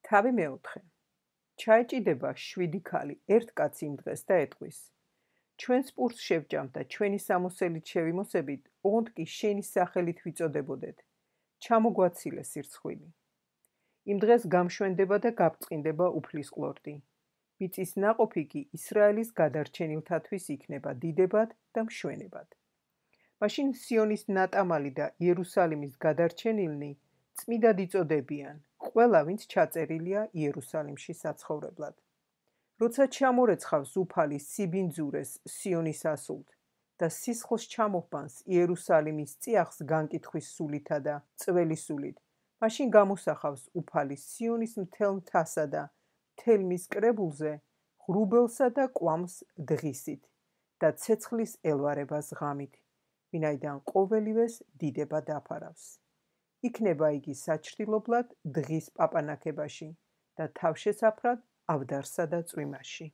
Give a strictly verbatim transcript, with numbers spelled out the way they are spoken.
თავი მეოთხე. ჩაეჭიდება შვიდი ქალი ერთ კაცს იმ დღეს და ეტყვის: ჩვენს პურს შევჭამთ და ჩვენი სამოსელით შევიმოსებით, ოღონდ კი შენი სახელით ვიწოდებოდეთ. ჩამოგვაცილე სირცხვილი. იმ დღეს გამშვენდება და გაბწყინდება უფლის ყლორტი. მიწის ნაყოფი კი ისრაელის გადარჩენილთათვის იქნება დიდებად და მშვენებად. მაშინ სიონის ნატამალი და იერუსალიმის გადარჩენილნი წმიდად იწოდებიან, ყველა ვინც ჩაწერილია იერუსალიმში საცხოვრებლად. როცა ჩამორეცხავს უფალი სიბინძურეს სიონის ასულთ და სისხლს ჩამოჰბანს იერუსალიმის წიაღს განკითხვის სულითა და წველი სულით, მაშინ გამოსახავს უფალი სიონის მთელ მთასა და მთელ მის კრებულზე ღრუბელსა და კვამს დღისით და ცეცხლის ელვარებას ღამით, ვინაიდან ყოველივეს დიდება დაფარავს. იქნება იგი საჩრდილობლად დღის პაპანაკებაში და თავშესაფრად ავდარსა და წვიმაში.